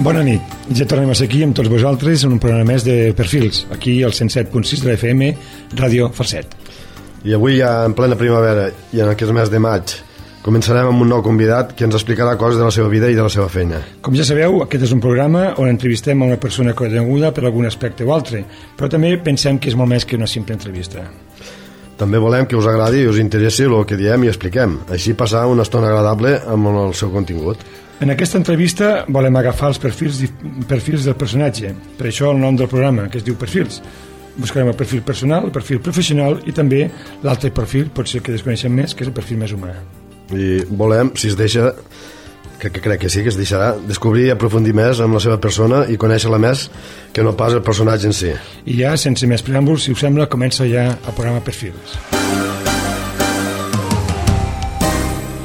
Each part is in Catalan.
Bona nit, ja tornem a ser aquí amb tots vosaltres en un programa més de Perfils, aquí al 107.6 de la FM, Ràdio Falset. I avui ja en plena primavera i en aquest mes de maig començarem amb un nou convidat que ens explicarà coses de la seva vida i de la seva feina. Com ja sabeu, aquest és un programa on entrevistem a una persona coneguda per algun aspecte o altre, però també pensem que és molt més que una simple entrevista. També volem que us agradi i us interessi el que diem i expliquem, així passar una estona agradable amb el seu contingut. En aquesta entrevista volem agafar els perfils del personatge, per això el nom del programa, que es diu Perfils. Buscarem el perfil personal, el perfil professional i també l'altre perfil, potser que desconeixem més, que és el perfil més humà. I volem, si es deixa, que crec que sí, que es deixarà, descobrir i aprofundir més amb la seva persona i conèixer-la més que no pas el personatge en si. I ja, sense més preàmbuls, si us sembla, comença ja el programa Perfils.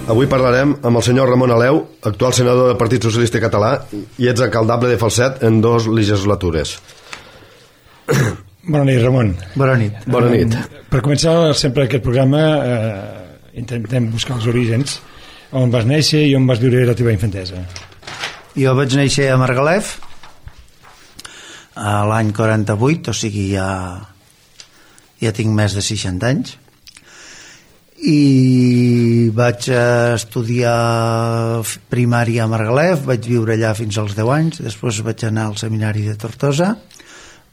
Avui parlarem amb el senyor Ramon Aleu, actual senador del Partit Socialista Català i exalcaldable de Falset en 2 legislatures. Bona nit, Ramon. Bona nit. Bona nit. Per començar sempre aquest programa intentem buscar els orígens, on vas néixer i on vas viure la teva infantesa. Jo vaig néixer a Margalef a l'any 48, o sigui ja tinc més de 60 anys, i vaig estudiar primària a Margalef, vaig viure allà fins als 10 anys, després vaig anar al seminari de Tortosa,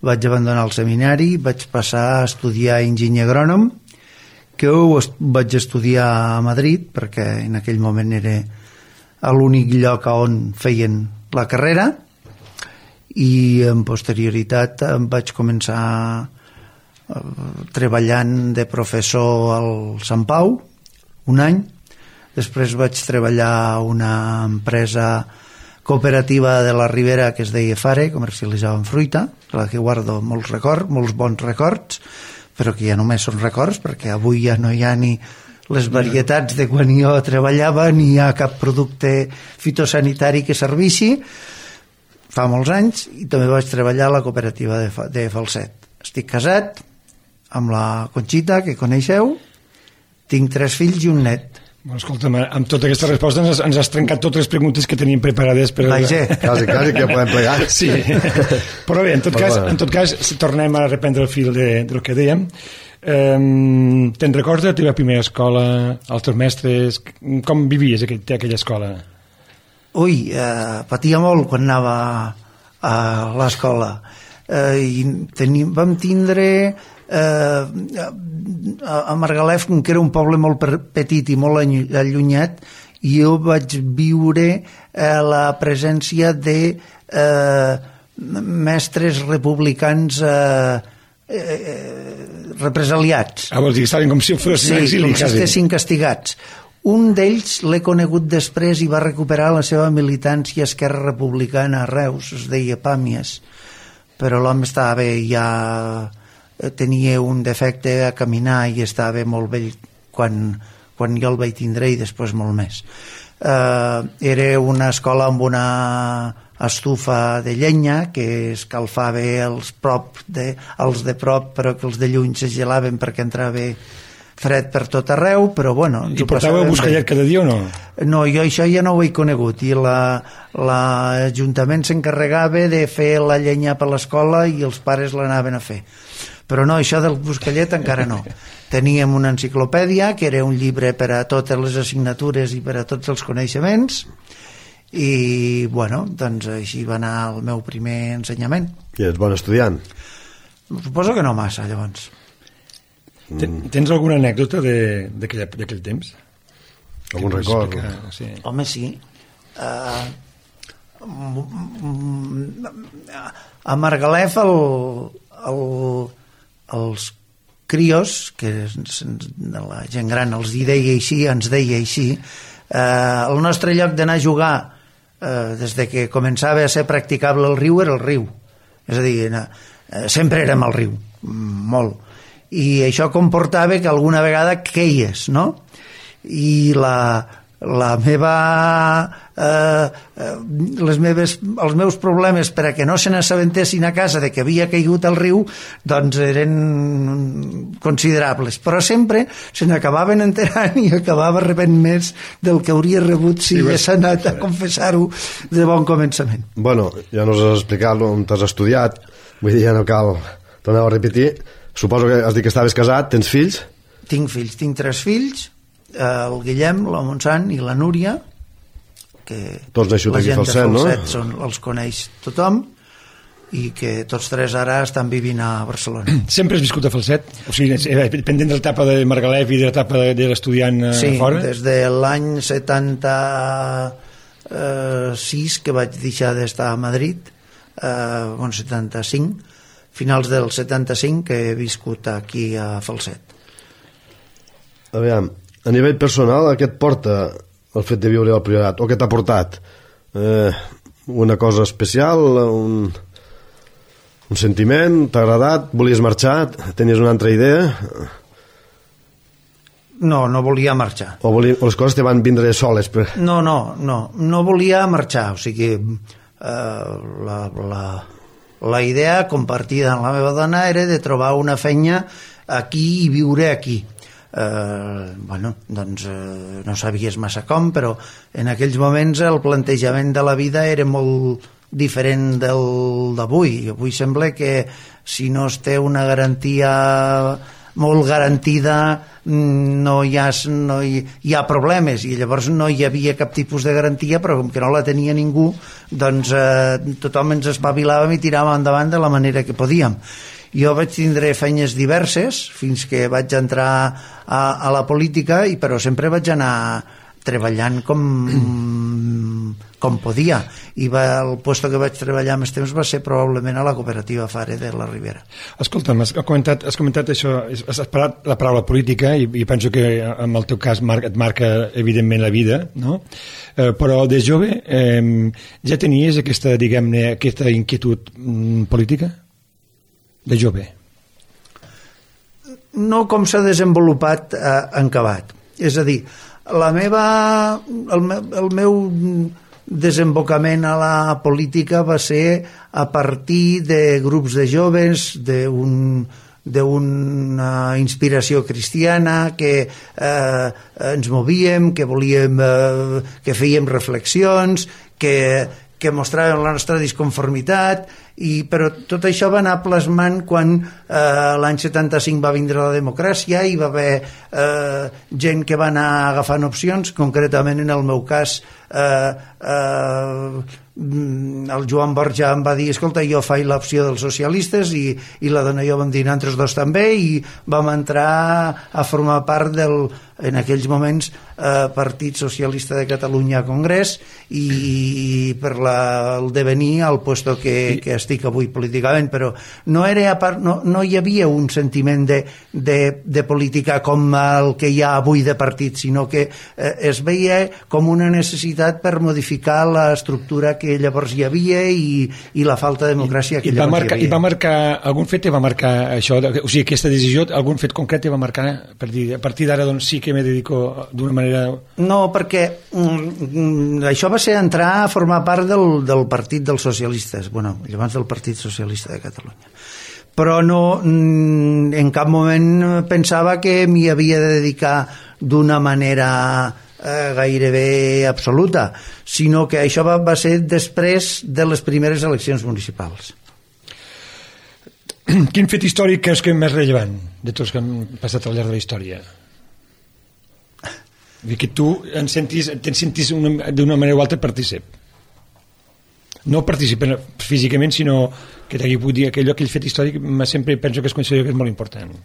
vaig abandonar el seminari, vaig passar a estudiar enginyer agrònom, que vaig estudiar a Madrid, perquè en aquell moment era l'únic lloc on feien la carrera, i en posterioritat em vaig començar treballant de professor al Sant Pau un any, després vaig treballar a una empresa cooperativa de la Ribera que es deia Fare, comercialitzaven fruita, la que guardo molts bons records, però que ja només són records perquè avui ja no hi ha ni les varietats de quan jo treballava, ni hi ha cap producte fitosanitari que serveixi. Fa molts anys, i també vaig treballar a la cooperativa de Falset. Estic casat amb la Conxita, que coneixeu, tinc 3 fills i un net. Bueno, escolta'm, amb tota aquesta resposta ens has trencat totes les preguntes que teníem preparades per... Vaja. Quasi que podem plegar. Sí, però bé, en tot cas, si tornem a reprendre el fil del que dèiem. Te'n recordes de la teva primera escola, els teus mestres, com vivies aquella escola? Ui, patia molt quan anava a l'escola. Vam tindre a Margalef, que era un poble molt petit i molt allunyat, i jo vaig viure la presència de mestres republicans represaliats. Vols dir que estaven com si fossin sí, exili, com si estessin castigats. Un d'ells l'he conegut després i va recuperar la seva militància a Esquerra Republicana a Reus, es deia Pàmies, però l'home estava bé, ja tenia un defecte a caminar i estava molt vell quan jo el vaig tindre i després molt més. Era una escola amb una estufa de llenya que escalfava els de prop, però que els de lluny se gelaven perquè entrava fred per tot arreu, però bueno... I portàveu buscallet cada dia o no? No, jo això ja no ho he conegut, i l'Ajuntament s'encarregava de fer la llenya per l'escola i els pares l'anaven a fer. Però no, això del buscallet encara no. Teníem una enciclopèdia, que era un llibre per a totes les assignatures i per a tots els coneixements, i bueno, doncs així va anar el meu primer ensenyament. I ets bon estudiant? Suposo que no massa, llavors. Tens alguna anècdota d'aquell temps? Algun record? Sí. Home, sí. A Margalef els crios, que la gent gran els ens deia així, el nostre lloc d'anar a jugar des de que començava a ser practicable el riu era el riu. És a dir, sempre érem al riu, molt. I això comportava que alguna vegada queies, no? I els meus problemes per a que no se n'assabentessin a casa de que havia caigut al riu doncs eren considerables, però sempre se n'acabaven enterant i acabava rebent més del que hauria rebut si hagués anat a confessar-ho de bon començament. Bueno, ja nos has explicat on t'has estudiat, vull dir, ja no cal tornar a repetir. Suposo que has dit que estaves casat, tens fills? Tinc fills, tinc 3 fills, el Guillem, la Montsant i la Núria, que tots la gent de Falset, Falset els coneix tothom, i que tots 3 ara estan vivint a Barcelona. Sempre has viscut a Falset? O sigui, pendent de l'etapa de Margalef i de l'etapa de l'estudiant fora? Sí, des de l'any 76 que vaig deixar d'estar a Madrid, 75, finals del 75 que he viscut aquí a Falset. Aviam, a nivell personal, què et porta el fet de viure al Priorat? O què t'ha portat? Una cosa especial? Un sentiment? T'ha agradat? Volies marxar? Tenies una altra idea? No volia marxar. O les coses te van vindre soles? No volia marxar. O sigui, la idea compartida amb la meva dona era de trobar una feina aquí i viure aquí. Doncs no sabies massa com, però en aquells moments el plantejament de la vida era molt diferent del d'avui. Avui sembla que si no es té una garantia molt garantida no hi ha problemes, i llavors no hi havia cap tipus de garantia, però com que no la tenia ningú, doncs tothom ens espavilàvem i tiràvem endavant de la manera que podíem. Jo vaig tindre feines diverses fins que vaig entrar a la política, però sempre vaig anar treballant com podia, i el lloc que vaig treballar més temps va ser probablement a la cooperativa Fare de la Ribera. Escolta'm, has comentat això, has parlat la paraula política, i penso que en el teu cas et marca evidentment la vida, no? Però de jove ja tenies aquesta, diguem-ne, aquesta inquietud política? De jove? No com s'ha desenvolupat en acabat. És a dir, el meu desembocament a la política va ser a partir de grups de joves, d'una inspiració cristiana, que ens movíem, que volíem, que fèiem reflexions, que mostràvem la nostra disconformitat, però tot això va anar plasmant quan l'any 75 va vindre la democràcia i va haver gent que va anar agafant opcions. Concretament en el meu cas el Joan Borja em va dir: escolta, jo faig l'opció dels socialistes, i la dona i jo vam dir nosaltres dos també, i vam entrar a formar part del, en aquells moments, Partit Socialista de Catalunya a Congrés, i per el devenir al puesto que estic avui políticament. Però no hi havia un sentiment de política com el que hi ha avui de partit, sinó que es veia com una necessitat per modificar l'estructura que llavors hi havia i la falta de democràcia que llavors hi havia. I va marcar, algun fet va marcar això, o sigui, aquesta decisió, algun fet concret va marcar per dir, a partir d'ara doncs sí que me dedico d'una manera... No, perquè això va ser entrar a formar part del Partit dels Socialistes, llavors del Partit Socialista de Catalunya. Però no, en cap moment pensava que m'hi havia de dedicar d'una manera gairebé absoluta, sinó que això va ser després de les primeres eleccions municipals. Quin fet històric creus que és més rellevant de tots que han passat al llarg de la història? Que tu te'n sentis d'una manera o altra partícip. No participen físicament, sinó que t'hagi pogut dir aquell fet històric, sempre penso que es considera que és molt important.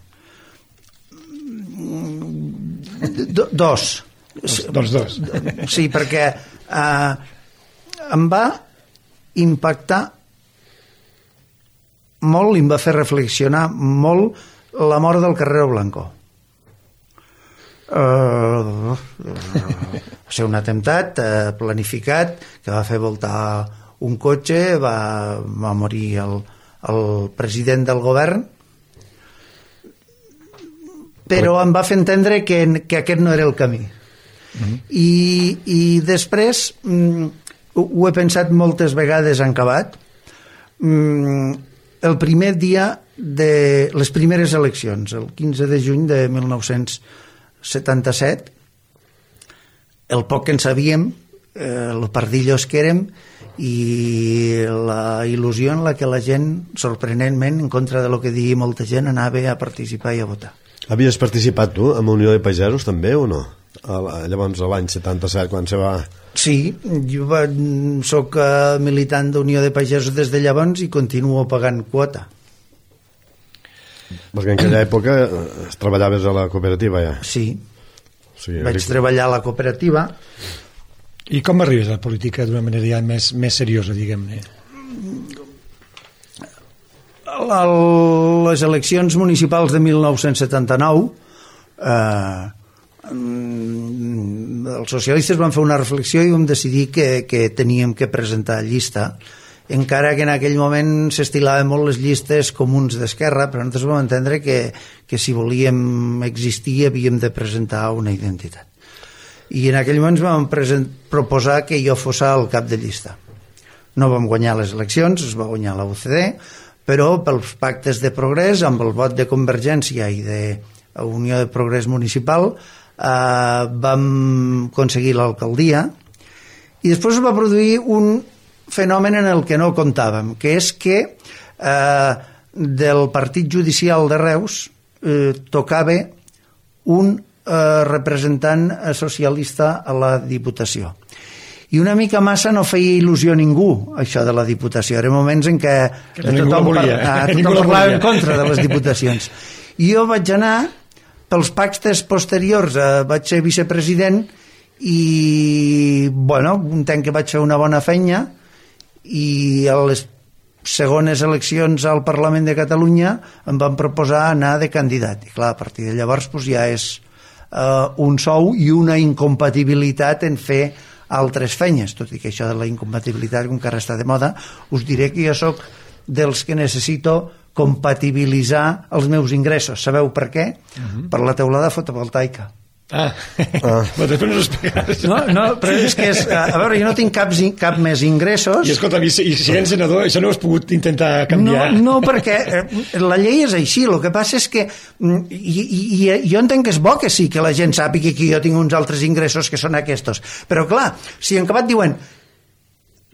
Dos. Sí, perquè em va impactar molt i em va fer reflexionar molt la mort del Carrero Blanco. Va ser un atemptat planificat que va fer voltar un cotxe, va morir el president del govern, però em va fer entendre que aquest no era el camí. I després ho he pensat moltes vegades en acabat. El primer dia de les primeres eleccions, el 15 de juny de 1977, el poc que en sabíem, el pardillos que érem, i la il·lusió en la que la gent, sorprenentment, en contra de lo que digui molta gent, anava a participar i a votar. Havies participat tu en Unió de Pagesos també o no? Llavors l'any 77 quan se va... Sí, jo soc militant d'Unió de Pagesos des de llavors i continuo pagant quota. Perquè en aquella època treballaves a la cooperativa ja. Sí, vaig treballar a la cooperativa. I com arribes a la política d'una manera ja més seriosa, diguem-ne? Les eleccions municipals de 1979 els socialistes van fer una reflexió i vam decidir que teníem que presentar llista, encara que en aquell moment s'estilaven molt les llistes comuns d'Esquerra, però nosaltres vam entendre que si volíem existir havíem de presentar una identitat. I en aquell moment vam proposar que jo fos el cap de llista. No vam guanyar les eleccions, es va guanyar la UCD, però pels pactes de progrés, amb el vot de Convergència i de Unió de Progrés Municipal, vam aconseguir l'alcaldia, i després es va produir un fenomen en el que no comptàvem, que és que del partit judicial de Reus tocava un representant socialista a la Diputació. I una mica massa no feia il·lusió a ningú, això de la Diputació. Eren moments en què tothom parlava en contra de les diputacions. I jo vaig anar, pels pactes posteriors, vaig ser vicepresident i, bueno, entenc que vaig fer una bona feina, i a les segones eleccions al Parlament de Catalunya em van proposar anar de candidat. I clar, a partir de llavors ja és un sou i una incompatibilitat en fer altres feines, tot i que això de la incompatibilitat, com que ara està de moda, us diré que jo sóc dels que necessito compatibilitzar els meus ingressos. Sabeu per què? Per la teulada fotovoltaica. Però després no ho explicaràs. No, però és que a veure, jo no tinc cap més ingressos. I escolta, i si ets senador, això no ho has pogut intentar canviar? No, perquè la llei és així. El que passa és que jo entenc que és bo que sí, que la gent sàpiga que jo tinc uns altres ingressos que són aquests. Però clar, si en acabat diuen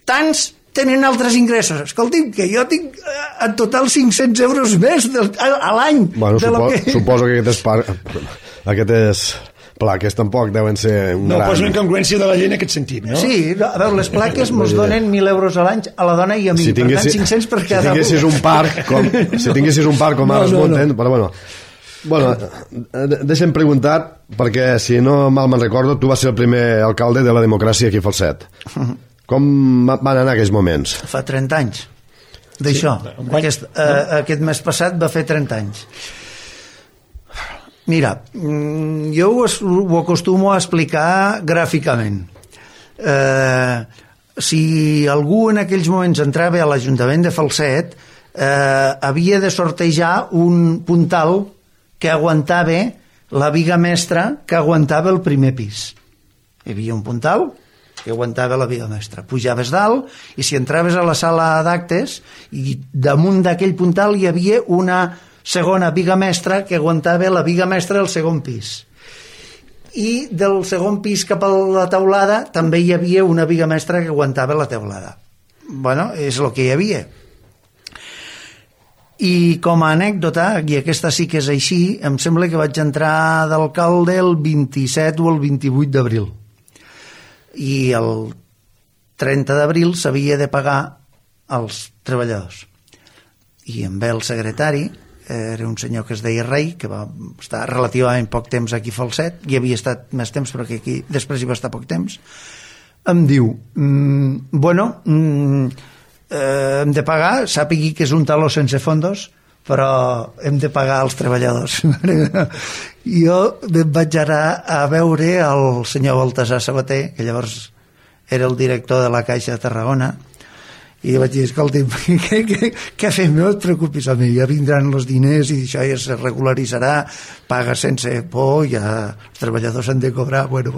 tants tenen altres ingressos, escolti'm, que jo tinc en total 500 euros més a l'any. Bueno, suposo que aquest és... plaques tampoc deuen ser un gran... No, posa una incongruència de la llei en aquest sentit, no? Sí, a veure, les plaques mos donen 1.000 euros a l'any a la dona i a mi, per tant 500 per cada un. Si tinguessis un parc com ara es munten, però bueno, deixa'm preguntar, perquè si no mal me'n recordo, tu vas ser el primer alcalde de la democràcia aquí a Falset. Com van anar aquells moments? Fa 30 anys d'això. Aquest mes passat va fer 30 anys. Mira, jo ho acostumo a explicar gràficament. Si algú en aquells moments entrava a l'Ajuntament de Falset, havia de sortejar un puntal que aguantava la viga mestra que aguantava el primer pis. Hi havia un puntal que aguantava la viga mestra. Pujaves dalt i si entraves a la sala d'actes i damunt d'aquell puntal hi havia una segona viga mestra que aguantava la viga mestra del segon pis. I del segon pis cap a la teulada també hi havia una viga mestra que aguantava la teulada. Bueno, és el que hi havia. I com a anècdota, i aquesta sí que és així, em sembla que vaig entrar d'alcalde el 27 o el 28 d'abril. I el 30 d'abril s'havia de pagar als treballadors. I em ve el secretari, era un senyor que es deia Rei, que va estar relativament poc temps aquí a Falset, hi havia estat més temps però que aquí després hi va estar poc temps, em diu hem de pagar, sàpigui que és un taló sense fondos, però hem de pagar als treballadors. Jo vaig anar a veure el senyor Baltasar Sabater, que llavors era el director de la Caixa de Tarragona, I vaig dir, escolta, què fem? No et preocupis, home, ja vindran els diners i això ja se regularitzarà, paga sense por, ja els treballadors han de cobrar, bueno.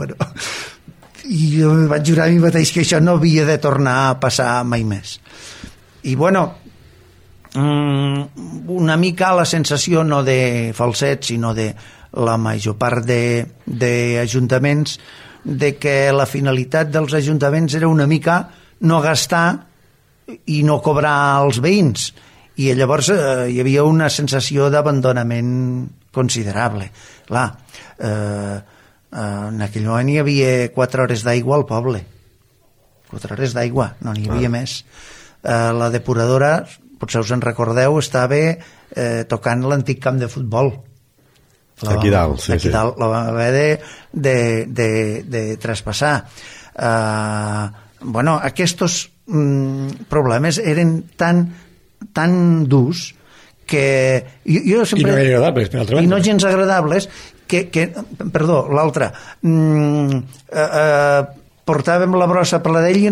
I jo vaig jurar a mi mateix que això no havia de tornar a passar mai més. I bueno, una mica la sensació no de Falset, sinó de la major part d'ajuntaments, de que la finalitat dels ajuntaments era una mica no gastar i no cobrar als veïns, i llavors hi havia una sensació d'abandonament considerable. Clar, en aquell moment hi havia 4 hores d'aigua al poble, 4 hores d'aigua, no n'hi havia més. La depuradora, potser us en recordeu, estava tocant l'antic camp de futbol aquí dalt, sí. Dalt la vam haver de traspassar. Bueno, aquests problemes eren tan durs que jo sempre... I no agradables, per altra banda. I no gens agradables perdó, l'altra portàvem la brossa per la d'ell i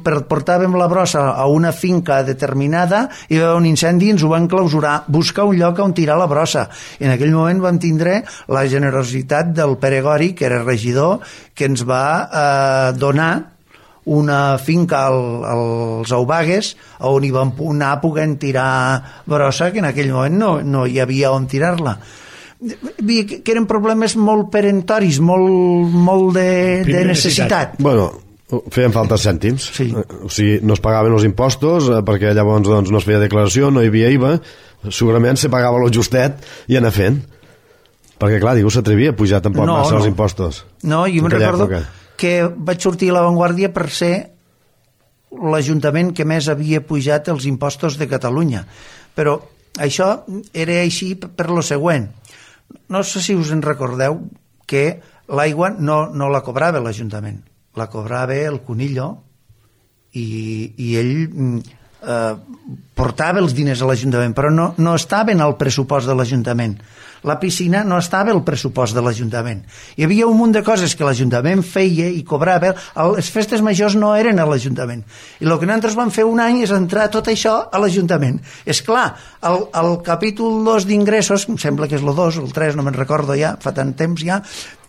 portàvem la brossa a una finca determinada i hi va un incendi i ens ho van clausurar, buscar un lloc on tirar la brossa. I en aquell moment vam tindre la generositat del Pere Gori, que era regidor, que ens va donar una finca als Aubagues on hi vam anar podent tirar brossa, que en aquell moment no hi havia on tirar-la. Que eren problemes molt perentoris, molt de necessitat. Bueno, feien falta cèntims, sí. O sigui, no es pagaven els impostos perquè llavors no es feia declaració, no hi havia IVA, segurament se pagava lo justet i anar fent, perquè clar, ningú s'atrevia a pujar tampoc massa els impostos. No, jo me'n recordo que vaig sortir a l'avantguàrdia per ser l'Ajuntament que més havia pujat els impostos de Catalunya, però això era així per lo següent. No sé si us en recordeu que l'aigua no la cobrava l'Ajuntament, la cobrava el Conillo i ell portava els diners a l'Ajuntament, però no estaven al pressupost de l'Ajuntament. La piscina no estava al pressupost de l'Ajuntament. Hi havia un munt de coses que l'Ajuntament feia i cobrava. Les festes majors no eren a l'Ajuntament. I el que nosaltres vam fer un any és entrar tot això a l'Ajuntament. És clar, el capítol 2 d'ingressos, em sembla que és el 2 o el 3, no me'n recordo ja, fa tant temps ja,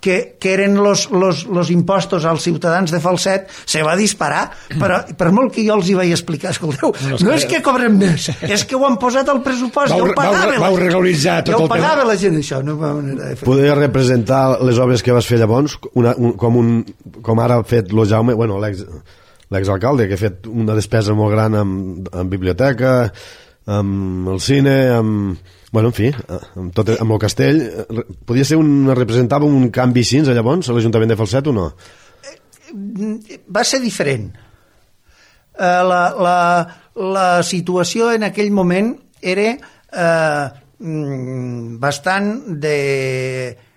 que eren los impostos als ciutadans de Falset, se va disparar, però per molt que jo els hi vaig explicar, escolteu, no és que cobrem més, és que ho han posat al pressupost, ja ho pagava vau regularitzar tot el tema. La gent, això, no va manera de fer. Podria representar les obres que vas fer llavors com ara ha fet lo Jaume, bueno, l'exalcalde, que ha fet una despesa molt gran en biblioteca, amb el cine, bueno, en fi, amb el castell. Podia ser representava un canvi així llavors a l'Ajuntament de Falset o no? Va ser diferent. La situació en aquell moment era bastant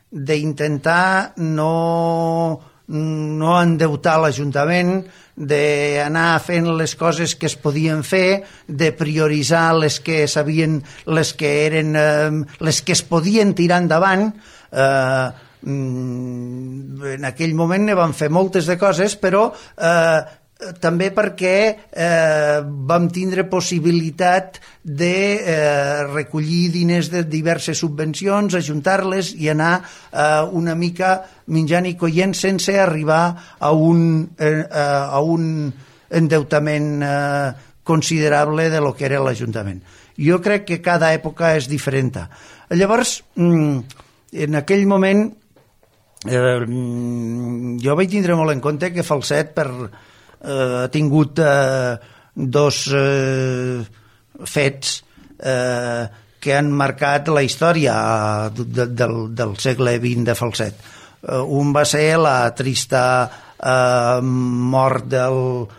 d'intentar no endeutar l'Ajuntament, d'anar fent les coses que es podien fer, de prioritzar les que sabien, les que es podien tirar endavant. En aquell moment ne vam fer moltes de coses, però també perquè vam tindre possibilitat de recollir diners de diverses subvencions, ajuntar-les i anar una mica menjant i collent sense arribar a un endeutament considerable de lo que era l'Ajuntament. Jo crec que cada època és diferent. Llavors, en aquell moment, jo vaig tindre molt en compte que Falset ha tingut dos fets que han marcat la història del segle XX de Falset. Un va ser la trista mort el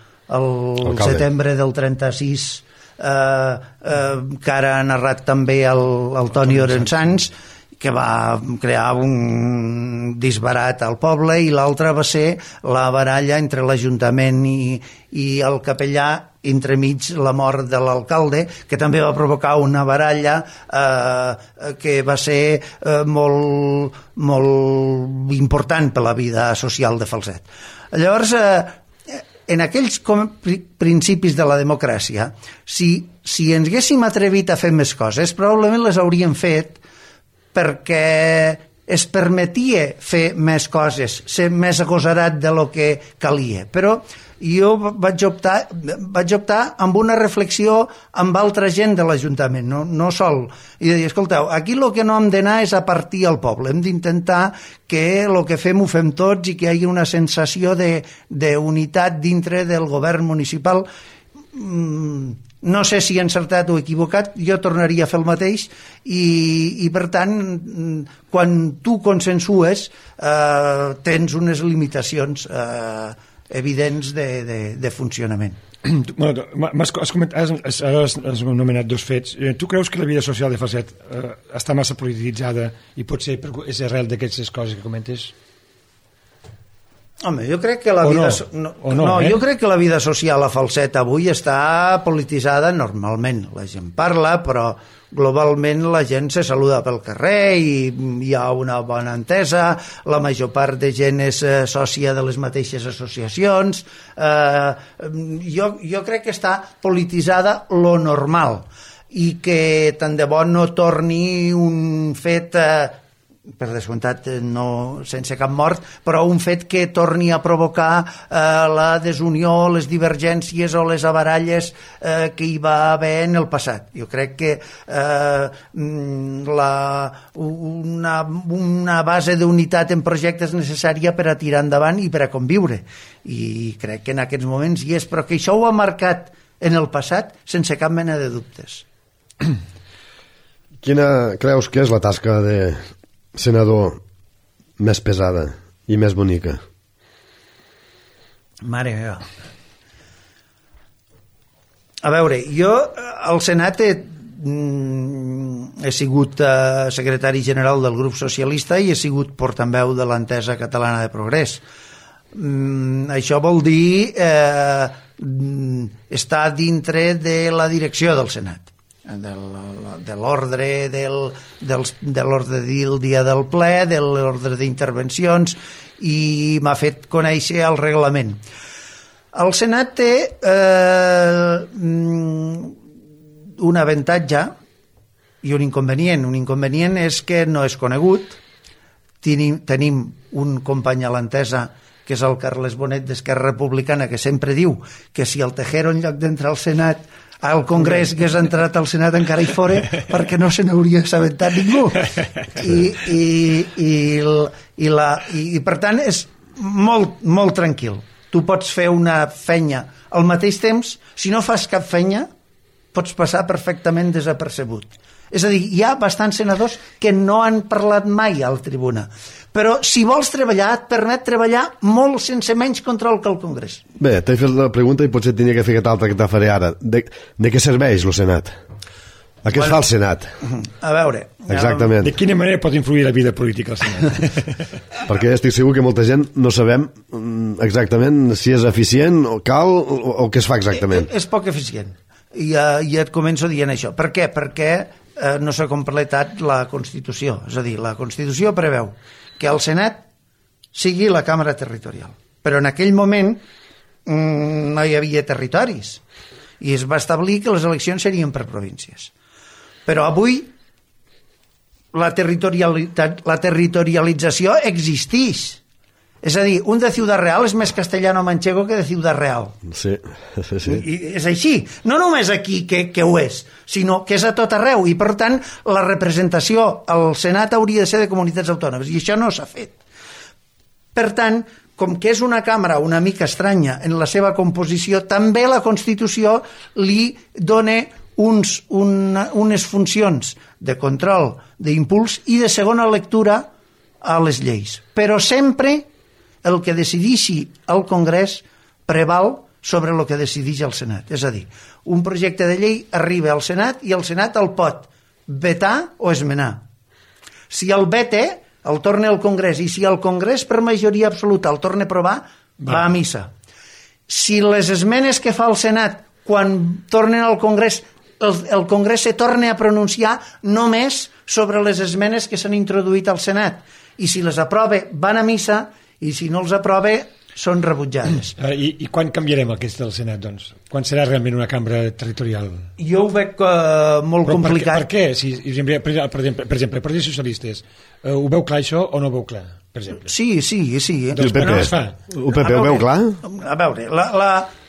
setembre del 36, que ara ha narrat també el Toni Orensans, que va crear un disbarat al poble, i l'altre va ser la baralla entre l'Ajuntament i el capellà, entremig la mort de l'alcalde, que també va provocar una baralla que va ser molt important per la vida social de Falset. Llavors, en aquells principis de la democràcia, si ens haguéssim atrevit a fer més coses, probablement les hauríem fet perquè es permetia fer més coses, ser més agosarat de lo que calia. Però jo vaig optar amb una reflexió amb altra gent de l'Ajuntament, no sol. I de dir, escolteu, aquí el que no hem d'anar és a partir al poble, hem d'intentar que el que fem ho fem tots i que hi hagi una sensació d'unitat dintre del govern municipal. No sé si he encertat o equivocat, jo tornaria a fer el mateix i per tant, quan tu consensues, tens unes limitacions evidents de funcionament. Has anomenat dos fets. Tu creus que la vida social de Falset està massa polititzada i potser és arrel d'aquestes coses que comentes? Home, jo crec que la vida jo crec que la vida social a Falset avui està polititzada normalment. La gent parla, però globalment la gent se saluda pel carrer i hi ha una bona entesa, la major part de gent és sòcia de les mateixes associacions. Jo crec que està polititzada lo normal i que tant de bo no torni un fet per descomptat no sense cap mort, però un fet que torni a provocar la desunió, les divergències o les avaralles que hi va haver en el passat. Jo crec que una base d'unitat en projectes és necessària per a tirar endavant i per a conviure, i crec que en aquests moments hi és, però que això ho ha marcat en el passat sense cap mena de dubtes. Quina creus que és la tasca de senador més pesada i més bonica? Mare meva. A veure, jo al Senat he sigut secretari general del grup socialista i he sigut portaveu de l'Entesa Catalana de Progrés. Això vol dir estar dintre de la direcció del Senat, de l'ordre del dia del ple, de l'ordre d'intervencions, i m'ha fet conèixer el reglament. El Senat té un avantatge i un inconvenient. Un inconvenient és que no és conegut. Tenim un company a l'Entesa, que és el Carles Bonet d'Esquerra Republicana, que sempre diu que si el Tejero, en lloc d'entrar al Senat, al Congrés, que has entrat al Senat, encara hi fora, perquè no se n'hauria assabentat ningú. I per tant és molt tranquil. Tu pots fer una feina al mateix temps, si no fas cap feina pots passar perfectament desapercebut. És a dir, hi ha bastants senadors que no han parlat mai a la tribuna, però si vols treballar et permet treballar molt sense menys control que el Congrés. Bé, t'he fet la pregunta i potser tenia que fer aquesta altra que te faré ara. De què serveix el Senat? A què es fa el Senat? A veure... Exactament. De quina manera pot influir la vida política al Senat? Perquè estic segur que molta gent no sabem exactament si és eficient o cal o què es fa exactament. És poc eficient. I et començo dient això. Per què? Perquè no s'ha completat la Constitució. És a dir, la Constitució preveu que el Senat sigui la Càmera Territorial. Però en aquell moment no hi havia territoris i es va establir que les eleccions serien per províncies. Però avui la territorialització existeix. És a dir, un de Ciudad Real és més castellano-manchego que de Ciudad Real. Sí. I és així. No només aquí que ho és, sinó que és a tot arreu. I, per tant, la representació al Senat hauria de ser de comunitats autònomes. I això no s'ha fet. Per tant, com que és una càmera una mica estranya en la seva composició, també la Constitució li dona unes funcions de control, d'impuls i de segona lectura a les lleis. Però sempre el que decideixi el Congrés preval sobre el que decideix el Senat. És a dir, un projecte de llei arriba al Senat i el Senat el pot vetar o esmenar. Si el veta, el torna al Congrés, i si el Congrés per majoria absoluta el torna a aprovar, va a missa. Si les esmenes que fa el Senat quan tornen al Congrés, el Congrés se torna a pronunciar només sobre les esmenes que s'han introduït al Senat, i si les aprova van a missa, i si no els aprova són rebutjades. I quan canviarem aquest del Senat, doncs? Quan serà realment una cambra territorial? Jo ho veig molt complicat. Per què? Per exemple, el Partit Socialistes, ho veu clar això o no ho veu clar, per exemple? Sí. Doncs, el PP, el PP ho veu clar? A veure,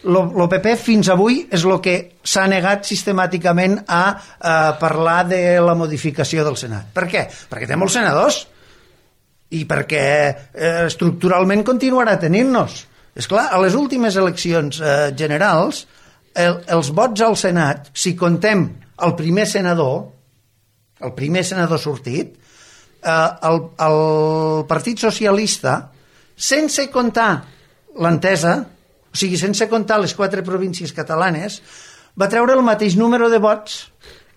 el PP fins avui és el que s'ha negat sistemàticament a parlar de la modificació del Senat. Per què? Perquè té molts senadors i perquè estructuralment continuarà tenint-nos. Esclar, a les últimes eleccions generals, els vots al Senat, si contem el primer senador sortit, el Partit Socialista, sense comptar l'entesa, o sigui, sense comptar les 4 províncies catalanes, va treure el mateix número de vots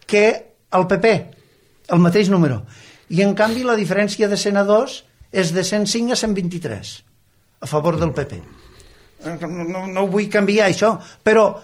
que el PP, el mateix número. I en canvi la diferència de senadors és de 105 a 123 a favor del PP. No vull canviar això, però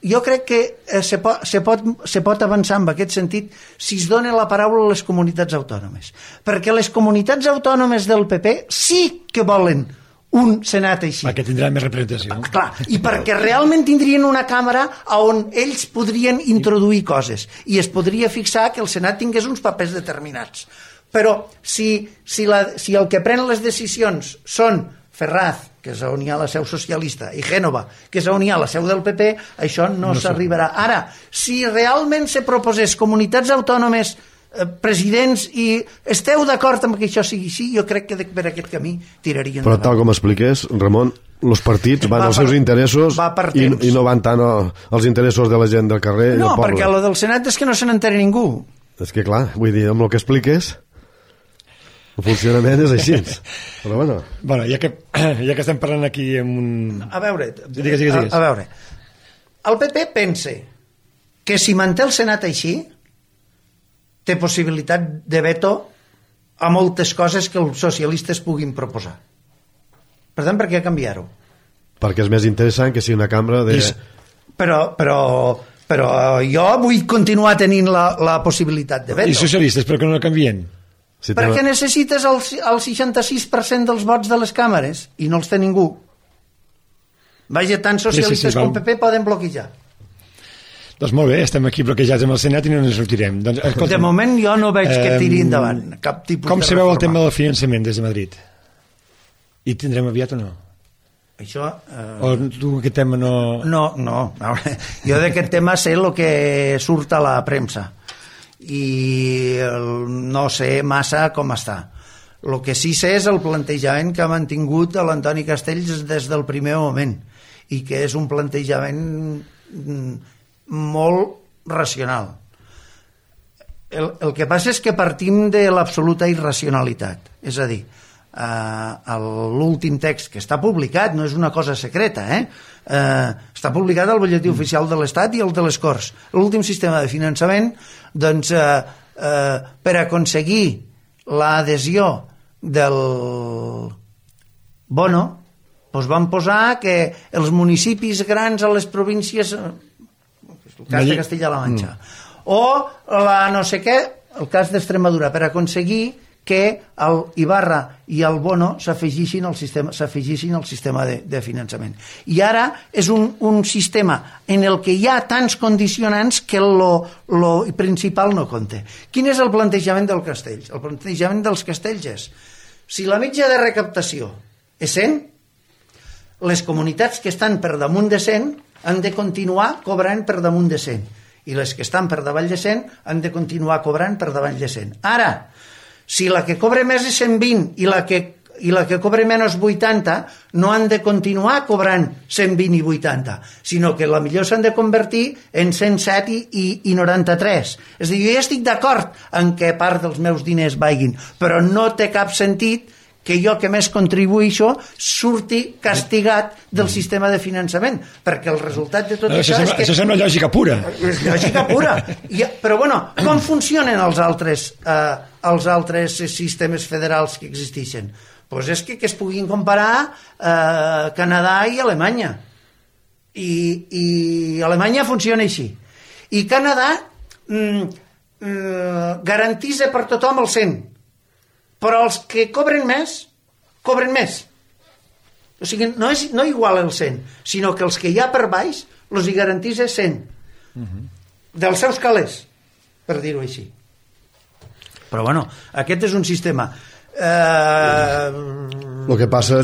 jo crec que se pot avançar en aquest sentit si es dona la paraula a les comunitats autònomes, perquè les comunitats autònomes del PP sí que volen un Senat així. Perquè tindrà més representació. Clar, i perquè realment tindrien una càmera on ells podrien introduir coses i es podria fixar que el Senat tingués uns papers determinats. Però si el que pren les decisions són Ferraz, que és on hi ha la seu socialista, i Gènova, que és on hi ha la seu del PP, això no s'arribarà. Ara, si realment se proposés comunitats autònomes, presidents, i esteu d'acord amb que això sigui així, jo crec que per aquest camí tirarien Però endavant. tal com expliqués, Ramon, els partits van als seus interessos i no van tant als interessos de la gent del carrer i del poble. No, perquè el del Senat és que no se n'entera ningú. És que clar, vull dir, amb el que expliques el funcionament és així. Però bueno, ja que estem parlant aquí amb un... A veure, digues. A veure, el PP pensa que si manté el Senat així té possibilitat de veto a moltes coses que els socialistes puguin proposar. Per tant, per què canviar-ho? Perquè és més interessant que si una cambra de... Però jo vull continuar tenint la possibilitat de veto. I socialistes, per què no la canvien? Perquè necessites el 66% dels vots de les càmeres i no els té ningú. Vaja, tant socialistes com PP poden bloquejar. Doncs molt bé, estem aquí bloquejats amb el Senat i no ens sortirem. Doncs, de moment jo no veig que tiri endavant cap tipus de reforma. Com se veu el tema del finançament des de Madrid? I tindrem aviat o no? Això... O tu aquest tema no... No. Jo d'aquest tema sé el que surt a la premsa i no sé massa com està. El que sí sé és el plantejament que ha mantingut l'Antoni Castells des del primer moment i que és un plantejament molt racional. El que passa és que partim de l'absoluta irracionalitat, és a dir, l'últim text que està publicat no és una cosa secreta, està publicat al butlletí oficial de l'Estat i el de les Corts. L'últim sistema de finançament, doncs, per aconseguir l'adhesió del bono, doncs van posar que els municipis grans a les províncies, el cas de Castilla-La Manxa, o la no sé què, el cas d'Extremadura, per aconseguir que el Ibarra i el Bono s'afegissin al sistema de finançament. I ara és un sistema en el que hi ha tants condicionants que lo principal no compta. Quin és el plantejament del Castells? El plantejament dels Castells és: si la mitja de recaptació és 100, les comunitats que estan per damunt de 100 han de continuar cobrant per damunt de 100 i les que estan per davall de 100 han de continuar cobrant per davall de 100. Ara, si la que cobre més és 120 i la que cobre menys 80, no han de continuar cobrant 120 i 80, sinó que la millor s'han de convertir en 107 i 93. És a dir, jo ja estic d'acord en que part dels meus diners vagin, però no té cap sentit que jo que més contribuïxo surti castigat del sistema de finançament, perquè el resultat de tot això és que... Això sembla lògica pura. És lògica pura. Però, bueno, com funcionen els altres sistemes federals que existeixen? Doncs és que es puguin comparar Canadà i Alemanya. I Alemanya funciona així. I Canadà garantitza per tothom el 100%. Però els que cobren més, cobren més. O sigui, no igual el 100, sinó que els que hi ha per baix els hi garantís 100 dels seus calés, per dir-ho així. Però bueno, aquest és un sistema. El que passa,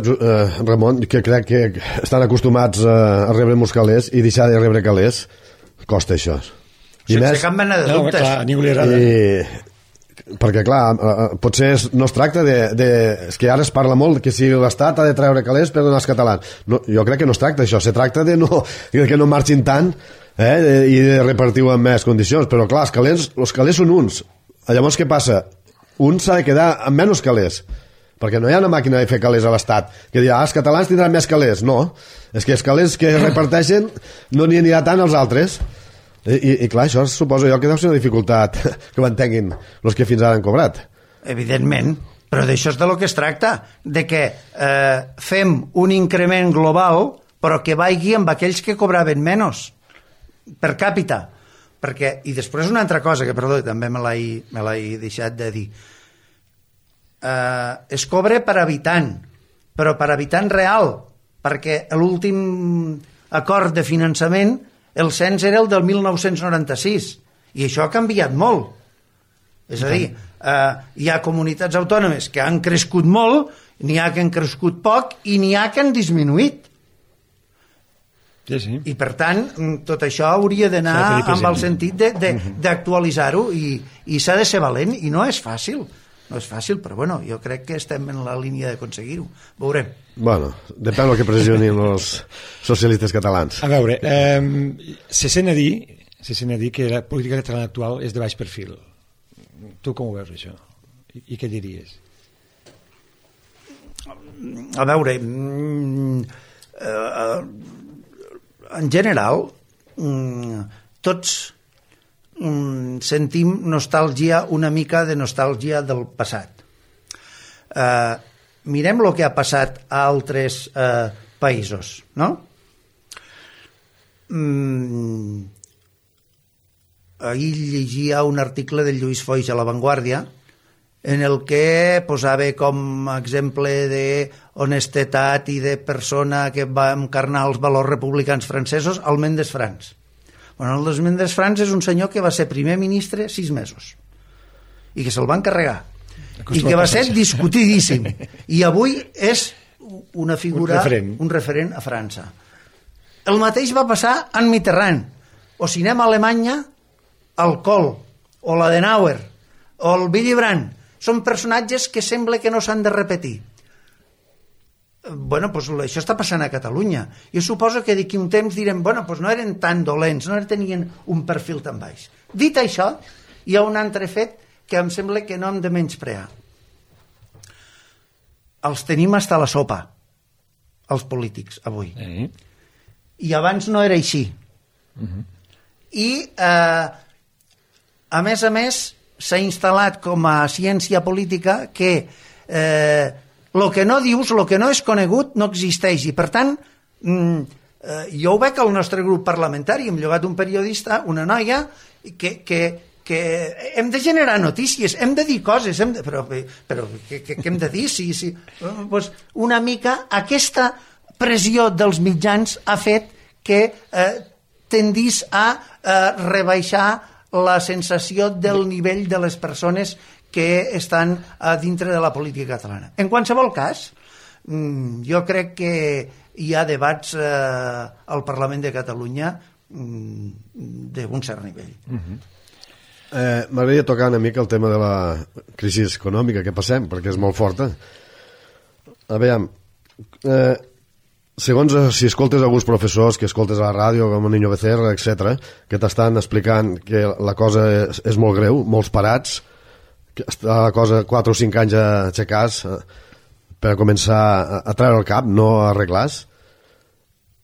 Ramon, que crec que estan acostumats a rebre molts calés i deixar de rebre calés costa això. Sense cap mena de dubtes. Clar, a ningú li agrada. Perquè clar, potser no es tracta és que ara es parla molt que si l'Estat ha de treure calés per donar als catalans. No, jo crec que no es tracta d'això, se tracta de que no marxin tant i de repartir-ho en més condicions, però clar, els calés són uns. Llavors què passa? Un s'ha de quedar amb menys calés, perquè no hi ha una màquina de fer calés a l'Estat que dirà, els catalans tindran més calés. No, és que els calés que reparteixen no n'hi anirà tant als altres. I clar, això suposo jo que deu ser una dificultat que ho entenguin els que fins ara han cobrat. Evidentment, però d'això és de lo que es tracta, de que fem un increment global però que vagi amb aquells que cobraven menys per càpita. Perquè, i després una altra cosa que, perdó, també me l'he deixat de dir, es cobra per habitant, però per habitant real, perquè l'últim acord de finançament el cens era el del 1996 i això ha canviat molt. És a dir, hi ha comunitats autònomes que han crescut molt, n'hi ha que han crescut poc i n'hi ha que han disminuït. Sí. I per tant, tot això hauria d'anar amb el sentit d'actualitzar-ho i s'ha de ser valent i no és fàcil. No és fàcil, però bueno, jo crec que estem en la línia d'aconseguir-ho. Veurem. Bueno, depèn del que pressionin els socialistes catalans. A veure, se sent a dir que la política catalana actual és de baix perfil. Tu com ho veus, això? I què diries? A veure, en general, tots sentim nostàlgia, una mica de nostàlgia del passat. Mirem el que ha passat a altres països, no? Ahir llegia un article del Lluís Foix a La Vanguardia en el que posava com a exemple d'honestedat i de persona que va encarnar els valors republicans francesos al Mendes France. Bueno, el Mendes France és un senyor que va ser primer ministre 6 mesos i que se'l van carregar i que va ser discutidíssim i avui és una figura, un referent a França. El mateix va passar en Mitterrand, o si anem a Alemanya, el Kohl o l'Adenauer o el Willy Brandt són personatges que sembla que no s'han de repetir. Bueno, pues això està passant a Catalunya. Jo suposo que d'aquí un temps direm, bueno, pues no eren tan dolents, no tenien un perfil tan baix. Dit això, hi ha un altre fet que em sembla que no hem de menysprear. Els tenim hasta la sopa, els polítics, avui. I abans no era així. I, a més, s'ha instal·lat com a ciència política que el que no dius, el que no és conegut, no existeix. I, per tant, jo ho veig al nostre grup parlamentari. Hem llogat un periodista, una noia, que hem de generar notícies, hem de dir coses, però què hem de dir? Pues una mica aquesta pressió dels mitjans ha fet que tendís a rebaixar la sensació del nivell de les persones que estan a dintre de la política catalana. En qualsevol cas, jo crec que hi ha debats al Parlament de Catalunya d'un cert nivell. M'agradaria tocar una mica el tema de la crisi econòmica que passem, perquè és molt forta. A veure, segons si escoltes alguns professors que escoltes a la ràdio, com el Niño Becerra, etc., que t'estan explicant que la cosa és molt greu, molts parats, que està la cosa 4 o 5 anys a aixecar per començar a treure el cap, no a arreglar-se,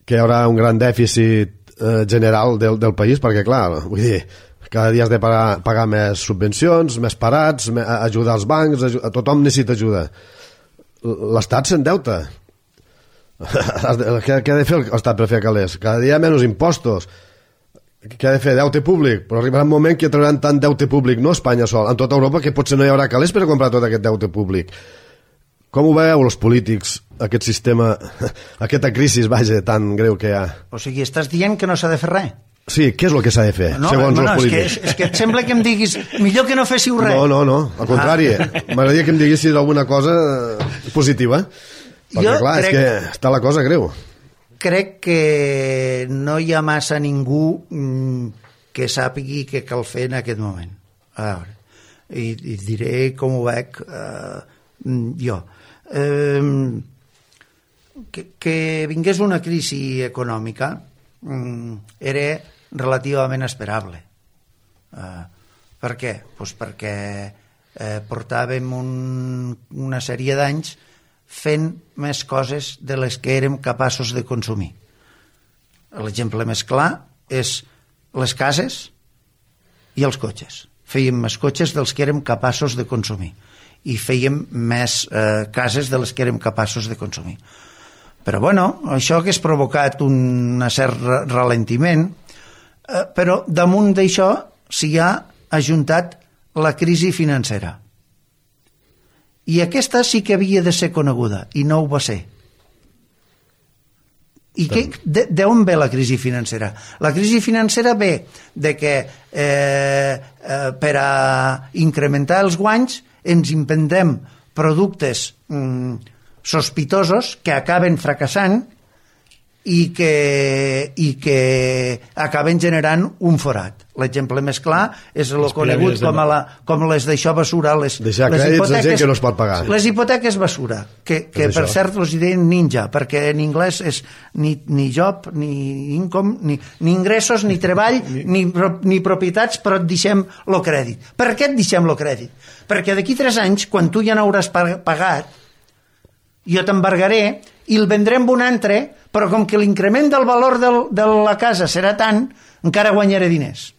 que hi haurà un gran dèficit general del país, perquè clar, vull dir, cada dia has de pagar més subvencions, més parats, ajudar als bancs, tothom necessita ajuda. L'Estat s'endeuta. Què ha de fer l'Estat per fer calés? Cada dia menys impostos. Què ha de fer? Deute públic? Però arribarà un moment que trauran tant deute públic, no a Espanya sol, en tota Europa, que potser no hi haurà calés per comprar tot aquest deute públic. Com ho veieu els polítics, aquest sistema, aquesta crisi, vaja, tan greu que hi ha? O sigui, estàs dient que no s'ha de fer res? Sí, què és el que s'ha de fer, segons els polítics? És que et sembla que em diguis millor que no féssiu res. No, al contrari. M'agradaria que em diguessis alguna cosa positiva. Perquè, clar, és que està la cosa greu. Crec que no hi ha massa ningú que sàpigui què cal fer en aquest moment. A veure, i diré com ho veig jo. Que vingués una crisi econòmica era relativament esperable. Per què? Pues perquè portàvem una sèrie d'anys fent més coses de les que érem capaços de consumir. L'exemple més clar és les cases i els cotxes. Fèiem més cotxes dels que érem capaços de consumir i fèiem més cases de les que érem capaços de consumir. Però bueno, això hagués provocat un cert ralentiment, però damunt d'això s'hi ha ajuntat la crisi financera. I aquesta sí que havia de ser coneguda, i no ho va ser. I d'on ve la crisi financera? La crisi financera ve de que per a incrementar els guanys ens inventem productes sospitosos que acaben fracassant i que acaben generant un forat. L'exemple més clar és el conegut com les d'això basura, deixar crèdits de gent que no es pot pagar. Les hipoteques basura, que per cert els deien ninja, perquè en anglès és ni job, ni income, ni ingressos, ni treball, ni propietats, però et deixem el crèdit. Per què et deixem el crèdit? Perquè d'aquí 3 anys, quan tu ja n'hauràs pagat, jo t'embargaré i el vendrem un altre, però com que l'increment del valor de la casa serà tant, encara guanyaré diners.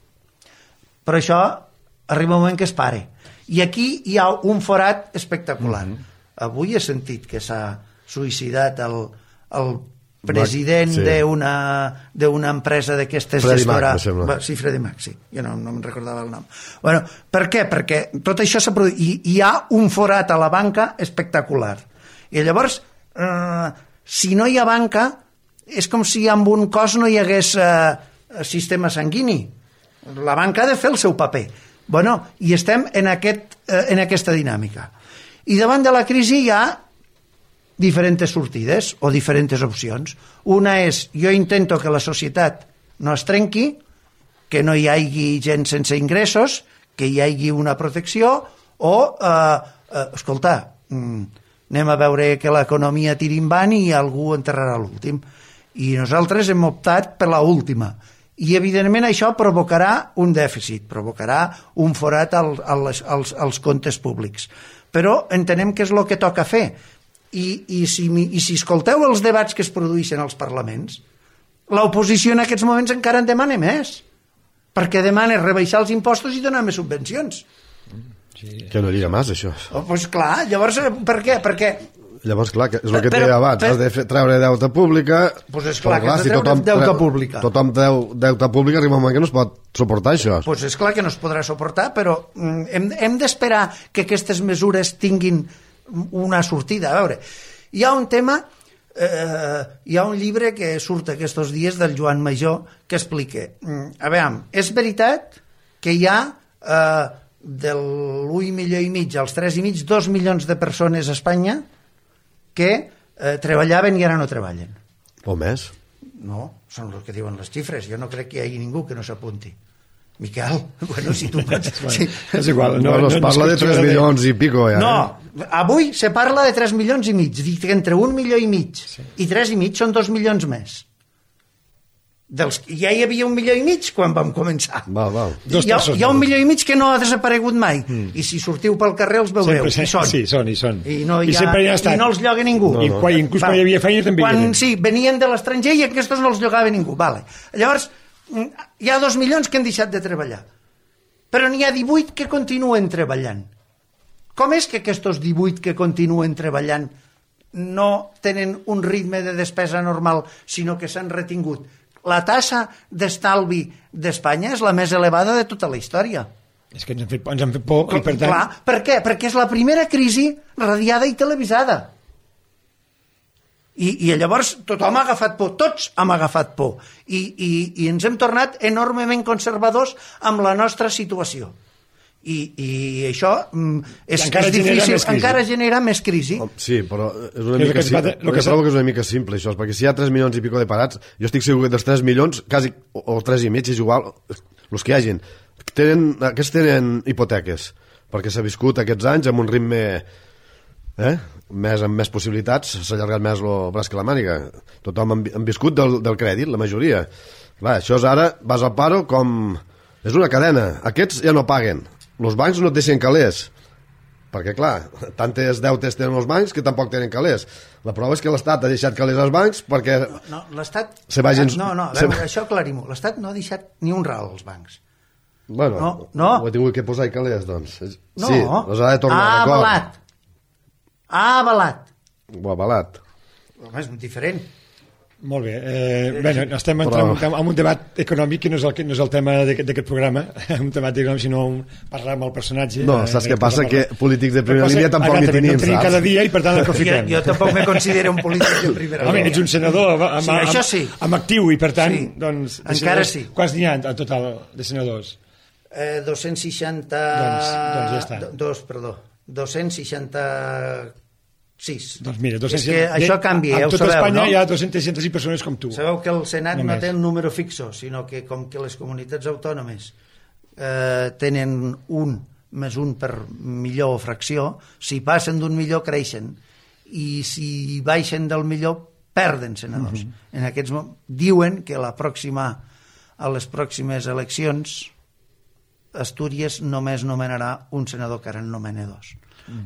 Però això arriba un moment que es pare. I aquí hi ha un forat espectacular. Avui he sentit que s'ha suïcidat el president d'una empresa d'aquestes gestora... Sí, Freddie Mac, sí. Jo no me'n recordava el nom. Bueno, per què? Perquè tot això s'ha produït. I hi ha un forat a la banca espectacular. I llavors, si no hi ha banca, és com si amb un cos no hi hagués sistema sanguini. La banca ha de fer el seu paper. Bueno, i estem en aquesta dinàmica. I davant de la crisi hi ha diferents sortides o diferents opcions. Una és, jo intento que la societat no es trenqui, que no hi hagi gent sense ingressos, que hi hagi una protecció, o, escolta, anem a veure que l'economia tiri en i algú enterrarà l'últim. I nosaltres hem optat per l'última. I, evidentment, això provocarà un dèficit, provocarà un forat als comptes públics. Però entenem que és el que toca fer. I si escolteu els debats que es produeixen als parlaments, l'oposició en aquests moments encara en demana més, perquè demana rebaixar els impostos i donar més subvencions. Sí. Que no lliga més, això. Doncs clar, llavors, per què? Perquè... Llavors, clar, és el que et deia abans, has de treure deute pública... Doncs és clar que has de treure deute pública. Tothom treu deute pública, arriba un moment que no es pot suportar això. Doncs és clar que no es podrà suportar, però hem d'esperar que aquestes mesures tinguin una sortida. A veure, hi ha un tema... hi ha un llibre que surt aquests dies del Joan Major que explica... A veure, és veritat que hi ha... de l'1,5 milió als 3,5, 2 milions de persones a Espanya que treballaven i ara no treballen. O més? No, són els que diuen les xifres. Jo no crec que hi hagi ningú que no s'apunti. Miquel, bueno, si tu pots... Sí. És igual. No es parla de 3 milions i pico, ja. No, avui se parla de 3 milions i mig. Dic que entre 1,5 milió i 3,5 són 2 milions més. Ja hi havia 1,5 milió quan vam començar. Val. Hi ha 1,5 milió que no ha desaparegut mai. I si sortiu pel carrer els veureu. Sí, són. I no els lloga ningú. I inclús quan hi havia feina també sí, venien de l'estranger i aquests no els llogava ningú. Llavors, hi ha 2 milions que han deixat de treballar. Però n'hi ha 18 que continuen treballant. Com és que aquests 18 que continuen treballant no tenen un ritme de despesa normal, sinó que s'han retingut? La tassa d'estalvi d'Espanya és la més elevada de tota la història. És que ens han fet por i per tant... Clar, per què? Perquè és la primera crisi radiada i televisada. I llavors tothom ha agafat por, tots hem agafat por. I ens hem tornat enormement conservadors amb la nostra situació. I això és difícil, encara genera més crisi. Sí, però és una mica trobo que és una mica simple això, perquè si hi ha 3 milions i pico de parats, jo estic segur que dels 3 milions quasi, o 3 i mig és igual, els que hi hagin aquests tenen hipoteques perquè s'ha viscut aquests anys amb un ritme amb més possibilitats, s'ha allargat més el braç que la màniga, tothom han viscut del crèdit, la majoria. Clar, això és ara, vas al paro com... és una cadena, aquests ja no paguen, els bancs no et deixen calés, perquè clar, tantes deutes tenen els bancs que tampoc tenen calés. La prova és que l'Estat ha deixat calés als bancs perquè... No, l'Estat... Això aclarim-ho, l'Estat no ha deixat ni un ral als bancs. Bueno, no. Ho he tingut que posar i calés, doncs. No, sí, els ha de tornar a avalat. Ha avalat. O avalat. Home, és diferent. Molt bé. Estem entrant en un debat econòmic que no és el tema d'aquest programa, un debat econòmic, sinó parlar amb el personatge. No, saps què passa? Que polítics de primera línia tampoc n'hi tenim, saps? No tenim cada dia i per tant l'aprofitem. Jo tampoc me considero un polític de primera línia. Home, ets un senador amb actiu i per tant... Encara sí. Quants n'hi ha en total de senadors? 260... Doncs ja està. 266. Doncs mira, és que això canvia, ja ho sabeu, no? A tot Espanya hi ha 260 persones com tu. Sabeu que el Senat no té un número fixo, sinó que com que les comunitats autònomes tenen 1 més 1 per millor o fracció, si passen d'un millor creixen, i si baixen del millor perden senadors. En aquests moments diuen que a les pròximes eleccions Astúries només nomenarà un senador, que ara en nomena 2,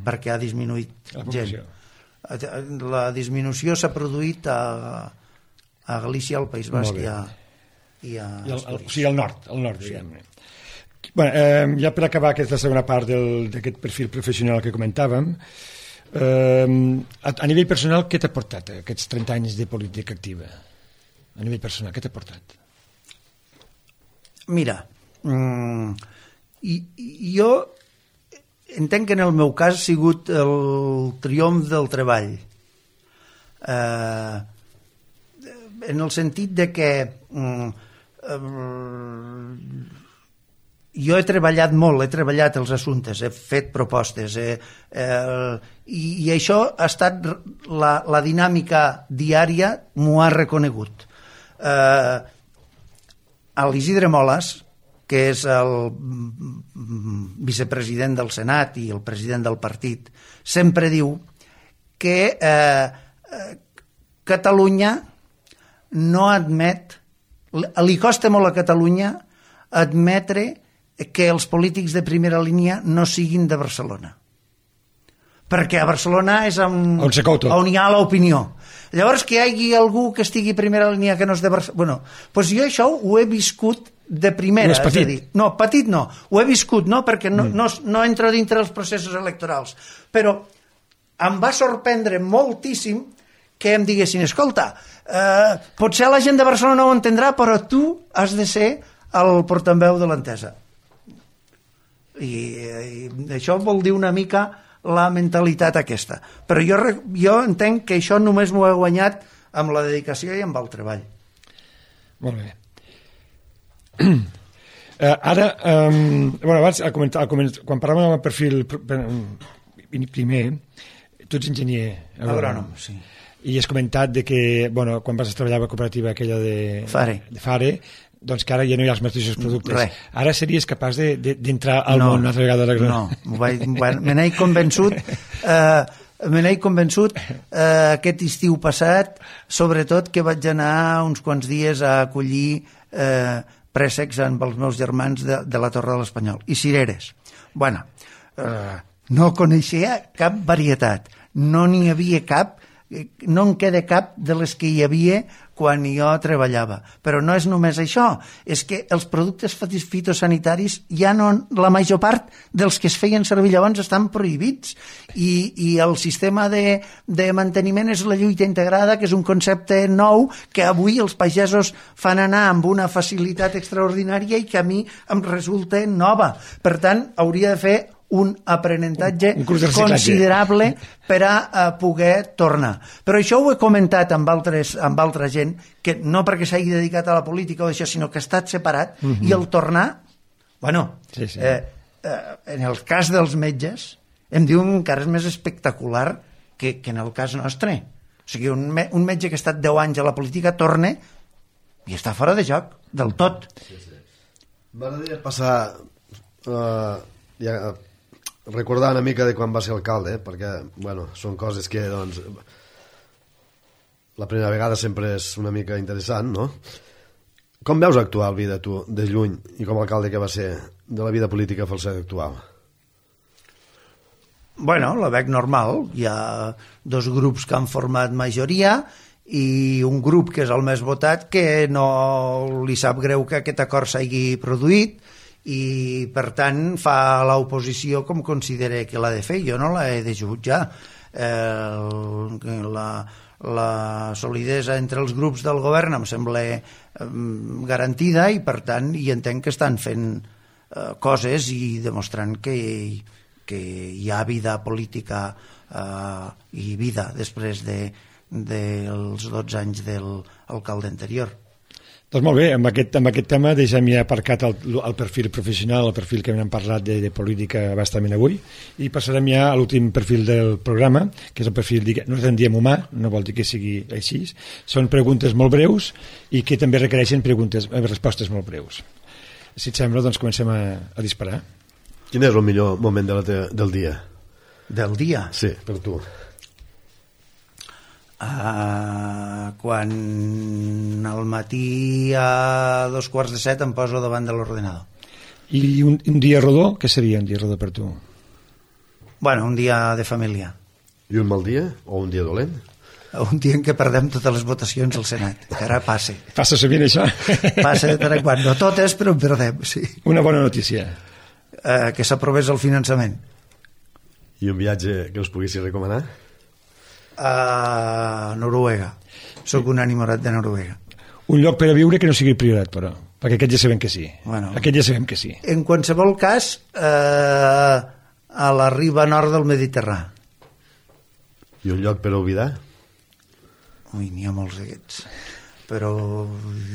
perquè ha disminuït gent. La disminució s'ha produït a Galícia, al País Basc i a Astúries. O sigui, al nord, diguem-ne. Ja per acabar aquesta segona part d'aquest perfil professional que comentàvem, a nivell personal, què t'ha portat aquests 30 anys de política activa? A nivell personal, què t'ha portat? Mira, jo entenc que en el meu cas ha sigut el triomf del treball, en el sentit de que jo he treballat molt, he treballat els assumptes, he fet propostes, i això ha estat la dinàmica diària, m'ho ha reconegut. A l'Isidre Molas, que és el vicepresident del Senat i el president del partit, sempre diu que Catalunya no admet, li costa molt a Catalunya admetre que els polítics de primera línia no siguin de Barcelona. Perquè a Barcelona és on hi ha l'opinió. Llavors, que hi hagi algú que estigui a primera línia que no és de Barcelona... Doncs jo això ho he viscut de primera. No és petit. No, petit no. Ho he viscut, no, perquè no entro dintre dels processos electorals. Però em va sorprendre moltíssim que em diguessin, escolta, potser la gent de Barcelona no ho entendrà, però tu has de ser el portaveu de l'entesa. I això vol dir una mica la mentalitat aquesta. Però jo entenc que això només m'ho he guanyat amb la dedicació i amb el treball. Molt bé. Ara, abans, quan parlàvem del perfil primer, tu ets enginyer agrònom, sí. I has comentat que quan vas treballar a la cooperativa aquella de Fare, doncs que ara ja no hi ha els mateixos productes. Ara series capaç d'entrar al món una altra vegada de l'agrònom? No, me n'he convençut aquest estiu passat, sobretot que vaig anar uns quants dies a acollir préssecs amb els meus germans de la Torre de l'Espanyol i cireres. No coneixia cap varietat, no n'hi havia cap no en queda cap de les que hi havia quan jo treballava. Però no és només això, és que els productes fitosanitaris ja no, la major part dels que es feien servir llavors estan prohibits i el sistema de manteniment és la lluita integrada, que és un concepte nou que avui els pagesos fan anar amb una facilitat extraordinària i que a mi em resulta nova. Per tant, hauria de fer un aprenentatge considerable per a poder tornar. Però això ho he comentat amb altra gent, que no perquè s'hagi dedicat a la política o això, sinó que ha estat separat, i el tornar, bueno, en el cas dels metges, em diuen que encara és més espectacular que en el cas nostre. O sigui, un metge que ha estat 10 anys a la política torna i està fora de joc, del tot. M'agradaria passar recordar una mica de quan va ser alcalde, perquè, bueno, són coses que, doncs, la primera vegada sempre és una mica interessant, no? Com veus actuar el vida, tu, de lluny, i com a alcalde que va ser, de la vida política falseta actual? Bueno, la veig normal. Hi ha 2 grups que han format majoria i un grup que és el més votat que no li sap greu que aquest acord s'hagi produït i per tant fa l'oposició com considera que l'ha de fer. Jo no l'he de jutjar. La solidesa entre els grups del govern em sembla garantida i per tant hi entenc que estan fent coses i demostrant que hi ha vida política i vida després dels 12 anys de l'alcalde anterior. Doncs molt bé, amb aquest tema deixem ja aparcat el perfil professional, el perfil que hem parlat de política bastament avui, i passarem ja a l'últim perfil del programa, que és el perfil, nosaltres en diem humà, no vol dir que sigui així, són preguntes molt breus i que també requereixen respostes molt breus. Si et sembla, doncs comencem a disparar. Quin és el millor moment del dia? Del dia? Sí, per tu. Quan al matí a 6:45 em poso davant de l'ordenador. I un dia rodó? Què seria un dia rodó per tu? Bueno, un dia de família. I un mal dia? O un dia dolent? Un dia en què perdem totes les votacions al Senat, que ara passa. Passa sovint això? Passa de tant en quant, no totes, però en perdem, sí. Una bona notícia. Que s'aprovés el finançament. I un viatge que us poguessis recomanar? A Noruega. Soc un enamorat de Noruega. Un lloc per a viure que no sigui priorat, però, perquè aquest ja sabem que sí. Bueno, aquest ja sabem que sí. En qualsevol cas, a la riba nord del Mediterrani. I un lloc per a oblidar? Ui, n'hi ha molts d'aquests. Però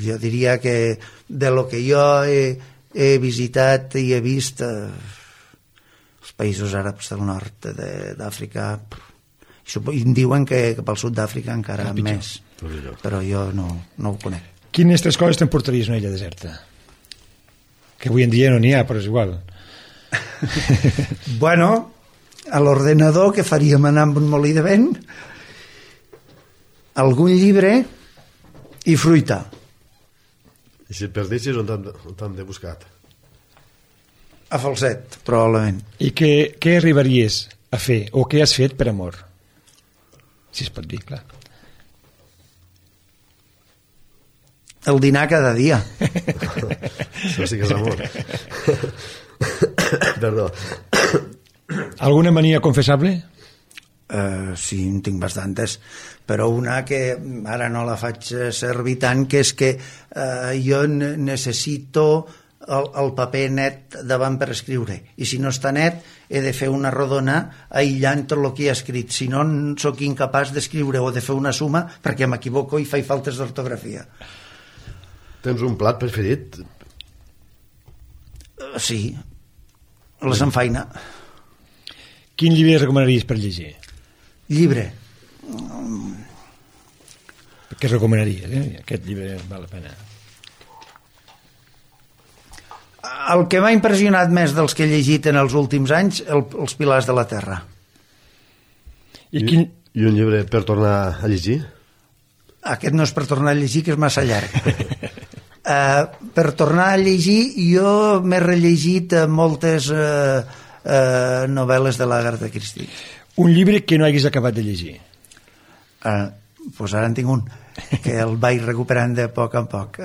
jo diria que de lo que jo he visitat i he vist els països àrabs del nord d'Àfrica, i em diuen que pel sud d'Àfrica encara més, però jo no ho conec. Quines 3 coses t'emportaries una illa deserta? Que avui en dia no n'hi ha, però és igual. Bueno, a l'ordenador, que faríem anar amb un molí de vent, algun llibre i fruita. I si et perdessis, on t'han de buscar? A Falset, probablement. I què arribaries a fer, o què has fet per amor? Si es pot dir, clar. El dinar cada dia. Això sí que és amor. Perdó. Alguna mania confessable? Sí, en tinc bastantes, però una que ara no la faig servir tant, que és que jo necessito el paper net davant per escriure, i si no està net he de fer una rodona aïllant tot el que he escrit, si no sóc incapaç d'escriure o de fer una suma perquè m'equivoco i faig faltes d'ortografia. Tens un plat preferit? Sí, la samfaina. Quin llibre recomanaries per llegir? Llibre. Què recomanaries? Aquest llibre val la pena. El que m'ha impressionat més dels que he llegit en els últims anys, els Pilars de la Terra. I un llibre per tornar a llegir? Aquest no és per tornar a llegir, que és massa llarg. Per tornar a llegir, jo m'he rellegit moltes novel·les de l'Agatha Christie. Un llibre que no haguis acabat de llegir? Pues ara en tinc un, que el vaig recuperant de poc en poc.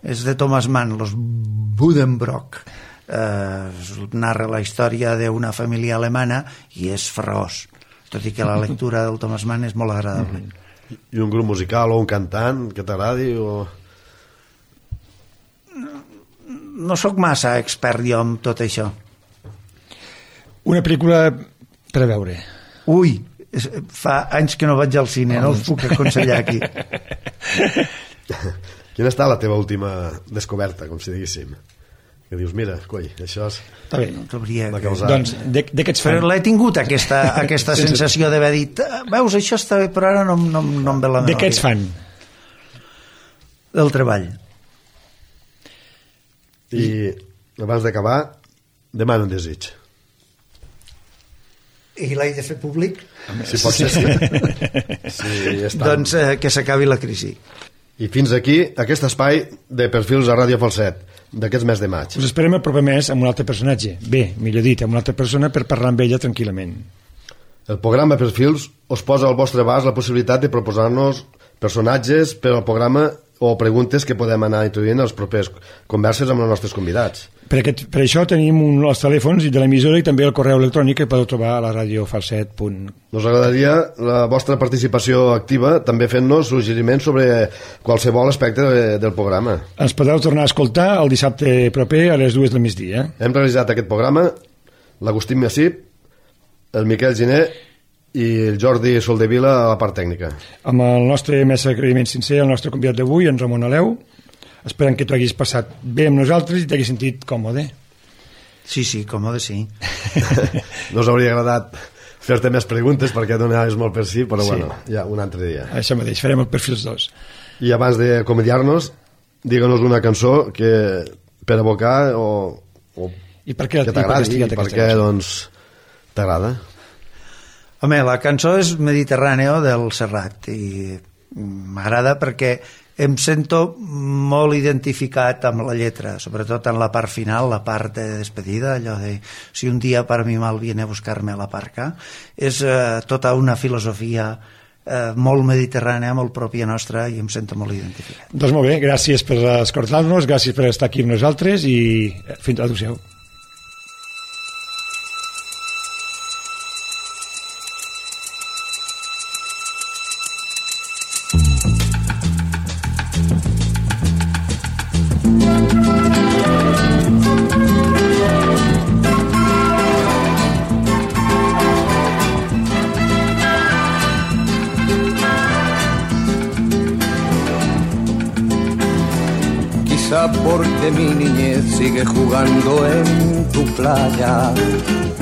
És de Thomas Mann, Los Buddenbrock. Narra la història d'una família alemana i és farragós, tot i que la lectura del Thomas Mann és molt agradable. I un grup musical o un cantant que t'agradi? No sóc massa expert jo en tot això. Una pel·lícula per a veure. Ui, fa anys que no vaig al cine, no us puc aconsellar aquí. Quina està la teva última descoberta, com si diguéssim? Que dius, mira, coi, això és... Està bé. Va causar... Doncs, de què ets fan? Però l'he tingut, aquesta sensació d'haver dit, veus, això està bé, però ara no em ve la memòria. De què ets fan? Del treball. I abans d'acabar, demana un desig. I l'he de fer públic? Si pot ser, sí. Sí, doncs que s'acabi la crisi. I fins aquí aquest espai de perfils a Ràdio Falset d'aquest mes de maig. Us esperem el proper mes amb un altre personatge. Bé, millor dit, amb una altra persona per parlar amb ella tranquil·lament. El programa Perfils us posa al vostre abast la possibilitat de proposar-nos personatges per al programa o preguntes que podem anar introduint en les properes converses amb els nostres convidats. Per això tenim els telèfons de l'emissora i també el correu electrònic que podeu trobar a la radiofalset.com. Nos agradaria la vostra participació activa, també fent-nos suggeriments sobre qualsevol aspecte del programa. Ens podeu tornar a escoltar el dissabte proper a les 2 del migdia. Hem realitzat aquest programa l'Agustín Massip, el Miquel Giner i el Jordi Soldevila a la part tècnica. Amb el nostre més agraïment sincer al nostre convidat d'avui, en Ramon Aleu. Esperem que t'ho haguis passat bé amb nosaltres i t'haguis sentit còmode. Sí, còmode, sí. No us hauria agradat fer-te més preguntes perquè donaves molt per sí, però sí. Bueno, ja un altre dia. Això mateix, farem el Perfils 2. I abans d'acomiadar-nos, digue'ns una cançó que per evocar o i per què que t'agradi i per què doncs, t'agrada. Home, la cançó és Mediterráneo del Serrat i m'agrada perquè em sento molt identificat amb la lletra, sobretot en la part final, la part de despedida, allò de si un dia para mi mal viene a buscarme a la parca. És tota una filosofia molt mediterrània, molt pròpia nostra i em sento molt identificat. Doncs molt bé, gràcies per escoltar-nos, gràcies per estar aquí amb nosaltres i fins a l'adéu-siau. Porque mi niñez sigue jugando en tu playa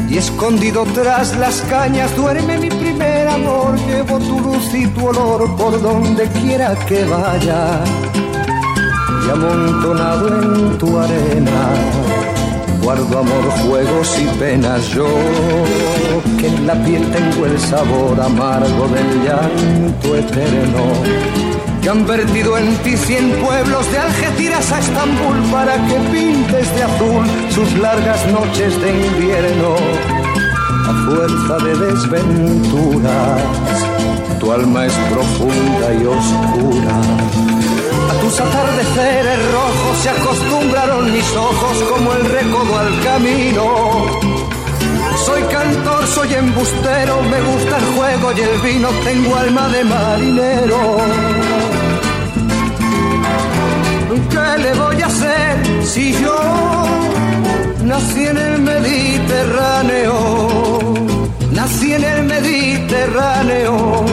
y escondido tras las cañas duerme mi primer amor. Llevo tu luz y tu olor por donde quiera que vaya y amontonado en tu arena guardo amor, juegos y penas. Yo que en la piel tengo el sabor amargo del llanto eterno, que han vertido en ti 100 pueblos de Algeciras a Estambul para que pintes de azul sus largas noches de invierno. A fuerza de desventuras, tu alma es profunda y oscura. A tus atardeceres rojos se acostumbraron mis ojos como el recodo al camino. Soy cantor, soy embustero, me gusta el juego y el vino, tengo alma de marinero. ¿Qué le voy a hacer si yo nací en el Mediterráneo? Nací en el Mediterráneo.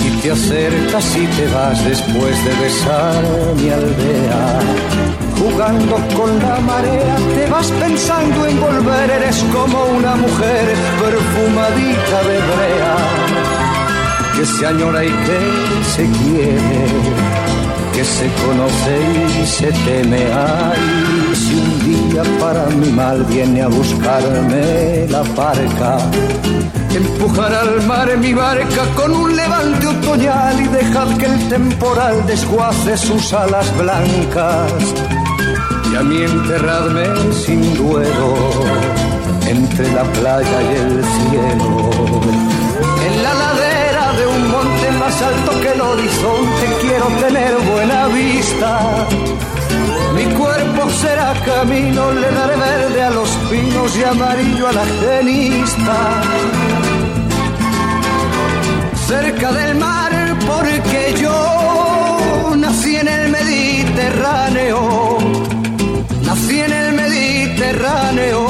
Y te acercas y te vas después de besar mi aldea. Jugando con la marea, te vas pensando en volver, eres como una mujer perfumadita de brea, que se añora y que se quiere, que se conoce y se teme. Ay, si un día para mi mal viene a buscarme la barca, empujar al mar mi barca con un levante otoñal y dejad que el temporal desguace sus alas blancas. Y a mí enterradme sin duelo entre la playa y el cielo. más alto que el horizonte, quiero tener buena vista. Mi cuerpo será camino, le daré verde a los pinos y amarillo a la genista. Cerca del mar, porque yo nací en el Mediterráneo, nací en el Mediterráneo,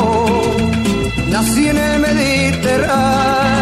nací en el Mediterráneo.